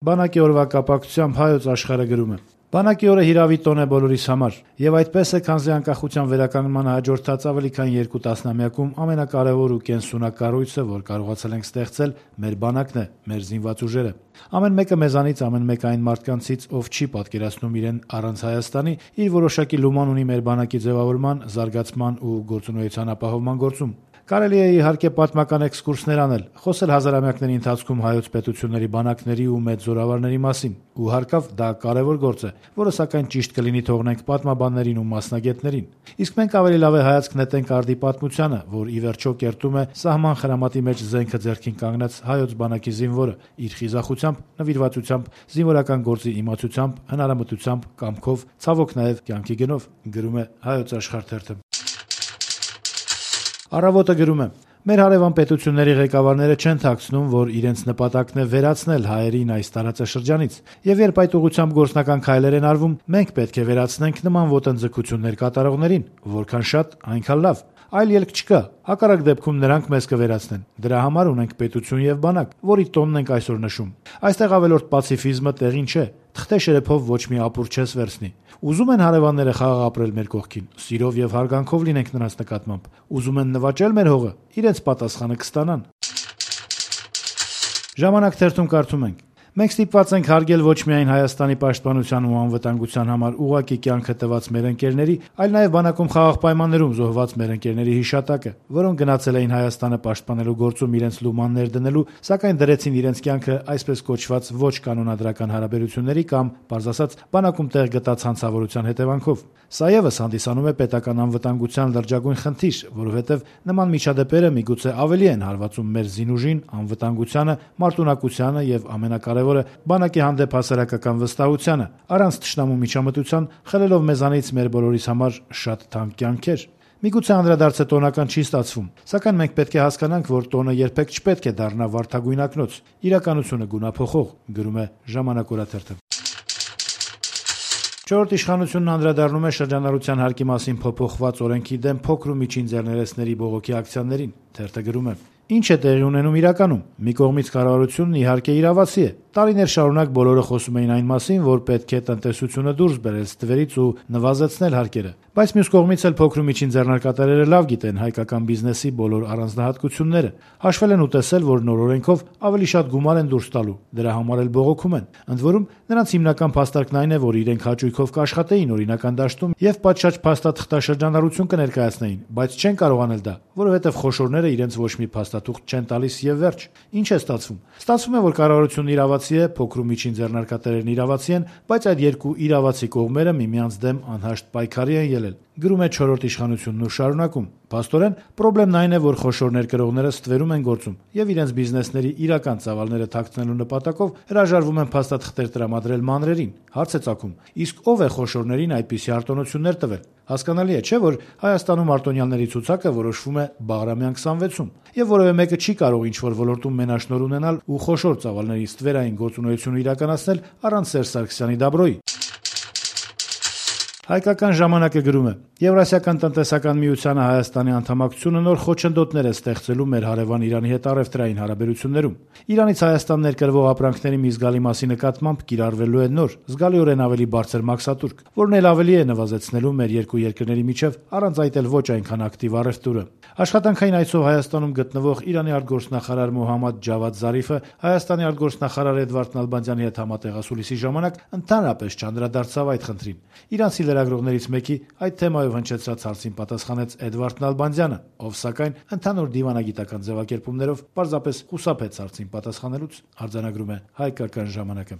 Բանակի օրվա կապակցությամբ Հայոց Աշխարհը գրում է. Բանակի օրը հիրավի տոն է բոլորիս համար, եւ այդպես է, քանզի անկախության վերականգնմանը հաջորդած ավելի քան 2 տասնամյակում ամենակարևոր ու կենսունակ կառույցը, որ կարողացել ենք ստեղծել, մեր բանակն է, մեր զինված ուժերը։ Ամեն մեկը մեզանից, ամեն մեկ այն մարդկանցից, ով չի պատկերացնում իրեն առանց Հայաստանի, իր որոշակի լուման ունի մեր բանակի ձևավորման, զարգացման ու գործունեության ապահովման գործում։ Կարելի է իհարկե պատմական էքսկուրսներ անել, խոսել հազարամյակների ընթացքում հայոց պետությունների բանակների ու մեծ զորավարների մասին, ու հարկավ դա կարևոր գործ է, որը սակայն ճիշտ կլինի թողնենք պատմաբաններին ու մասնագետներին։ Իսկ մենք ավելի լավ է հայացք նետենք արդի պատմությանը, որ ի վերջո կերտում է սահման խրամատի մեջ զենքը ձեռքին կանգնած հայոց բանակի զինվորը իր խիզախությամբ, նվիրվածությամբ, զինվորական գործի իմացությամբ, հնարամտությամբ, կամքով, ցավոք նաև կյանքի գնով, գրում է Հայոց Աշխարհ թերթը։ Առավոտը գրում է. մեր հարևան պետությունների ղեկավարները չեն թաքցնում, որ իրենց նպատակն է վերացնել հայերին այս տարածաշրջանից, եւ երբ այդ ուղղությամբ գործնական քայլեր են արվում, մենք պետք է վերացնենք նման ոտնձգություններ կատարողներին, որքան շատ, այնքան լավ։ Այլ ելք չկա, հակառակ դեպքում նրանք մեզ կվերացնեն։ Դրա համար ունենք պետություն եւ բանակ, որի տոնն ենք այսօր նշում։ Այստեղ ավելորդ պացիֆիզմը տեղին չէ, թղթե շերեփով ոչ մի ապուր չես վերցնի։ Ուզում են հարևանները խաղաղ ապրել մեր կողքին, սիրով եւ հարգանքով լինենք նրանց նկատմամբ։ Ուզում են նվաճել մեր հողը, իրենց պատասխանը կստանան։ Ժամանակ թերթում կարդում ենք. Մենք ստիպված ենք հարգել ոչ միայն Հայաստանի պաշտպանության ու անվտանգության համար ուղղակի կյանքը տված մեր ընկերների, այլ նաև բանակում խաղաղ պայմաններում զոհված մեր ընկերների հիշատակը, որոնք գնացել էին Հայաստանը պաշտպանելու գործում իրենց լումաններ դնելու, սակայն դրեցին իրենց կյանքը այսպես կոչված ոչ կանոնադրական հարաբերությունների կամ, պարզ ասած, բանակում տեղ գտած հանցավորության հետևանքով։ Սա ևս հանդիսանում է պետական անվտանգության լրջագույն խնդիր, որովհետև նման միջադեպերը միգուցե ավելի են հարվածում մեր զինուժին, անվտանգությանը, մարտունակությանը եւ ամենակարևորը բանակի հանդեպ հասարակական վստահությանը, առանց թշնամու միջամտության, խլելով մեզանից մեր բոլորիս համար շատ թանկ կյանքեր։ Միգուցե անդրադարձը տոնական չի ստացվում, սակայն մենք պետք է հասկանանք, որ տոնը երբեք չպետք է դառնա վարդագույն ակնոց, իրականությունը գունափոխող, գրում է Ժամանակ օրաթերթը։ Չորրորդ իշխանությունն անդրադառնում է շրջանառության հարկի մասին փոփոխված օրենքի դեմ փոքր ու միջին ձեռներեցների բողոքի ակցիաներին։ Թերթը գրում է. Ինչ է տեղի ունենում իրականում։ Մի կողմից կառավարությունն իհարկե իրավացի է։ Տարիներ շարունակ բոլորը խոսում էին այն մասին, որ պետք է տնտեսությունը դուրս բերել ստվերից ու նվազեցնել հարկերը։ Բայց մյուս կողմից էլ փոքր ու միջին ձեռնարկատերերը լավ գիտեն հայկական բիզնեսի բոլոր առանձնահատկությունները։ Հաշվել են ու տեսել, որ նոր օրենքով ավելի շատ գումար են դուրս տալու։ Դրա համար էլ բողոքում են։ Ընդ որում, նրանց հիմնական փաստարկն այն է, որ իրենք հաճույքով կաշխատեին օրինական դաշտում եւ պատշաճ փաստաթղթաշրջանառություն կներկայացնեին, բայց չեն կարող անել դա, որովհետեւ խոշորները իրենց ոչ մի փաստաթուղթ չեն տալիս եւ վերջ։ Ինչ է ստացվում։ Ստացվում է, որ կառավարությունն իրավացի է, փոքր ու միջին ձեռնարկատերերն իրավացի են, բայց այդ երկու իրավացի կողմերը միմյանց դեմ անհաշտ պայքարի են ելել։ Գրում է չորրորդ իշխանությունն ու շարունակում. Փաստորեն, խնդրեմն այն է, որ խոշոր ներկրողները ստվերում են գործում եւ իրենց բիզնեսների իրական ծավալները թաքցնելու նպատակով հրաժարվում են փաստաթղթեր տրամադրել մանրերին։ Հարց է ծագում. իսկ ով է խոշորներին այդպիսի արտոնություններ տվել։ Հասկանալի է, չէ՞, որ Հայաստանում արտոնյալների ցուցակը որոշվում է Բաղրամյան 26-ում, եւ որևէ մեկը չի կարող ինչ-որ ոլորտում մենաշնորհ ունենալ ու խոշոր ծավալների ստվերային գործունեություն իրականացնել առանց Սերժ Սարգսյանի դաբրոյի։ Հայկական ժամանակը գրում է. Եվրասիական տնտեսական միությանը Հայաստանի անդամակցությունը նոր խոչընդոտներ է ստեղծելու մեր հարևան Իրանի հետ առևտրային հարաբերություններում։ Իրանից Հայաստան ներկրվող ապրանքների մի զգալի մասի նկատմամբ կիրառվելու է նոր, զգալիորեն ավելի բարձր մաքսատուրք, որն էլ ավելի է նվազեցնելու մեր երկու երկրների միջև առանց այդ էլ ոչ այնքան ակտիվ առևտուրը։ Աշխատանքային այցով Հայաստանում գտնվող Իրանի արտգործնախարար Մոհամմադ Ջավադ Զարիֆը Հայաստանի արտգործնախարար Էդվարդ Նալբանդյանի հետ համատեղասուլիսի ժամանակ ընդհանրապես չանդրադարձավ այդ խնդրին։ Իրանցի լրագրողներից մեկի այդ թեմայով հնչեցրած հարցին պատասխանեց Էդվարդ Նալբանդյանը, ով սակայն ընդհանուր դիվանագիտական ձևակերպումներով պարզապես խուսափեց հարցին պատասխանելուց, արձանագրում է Հայկական ժամանակը։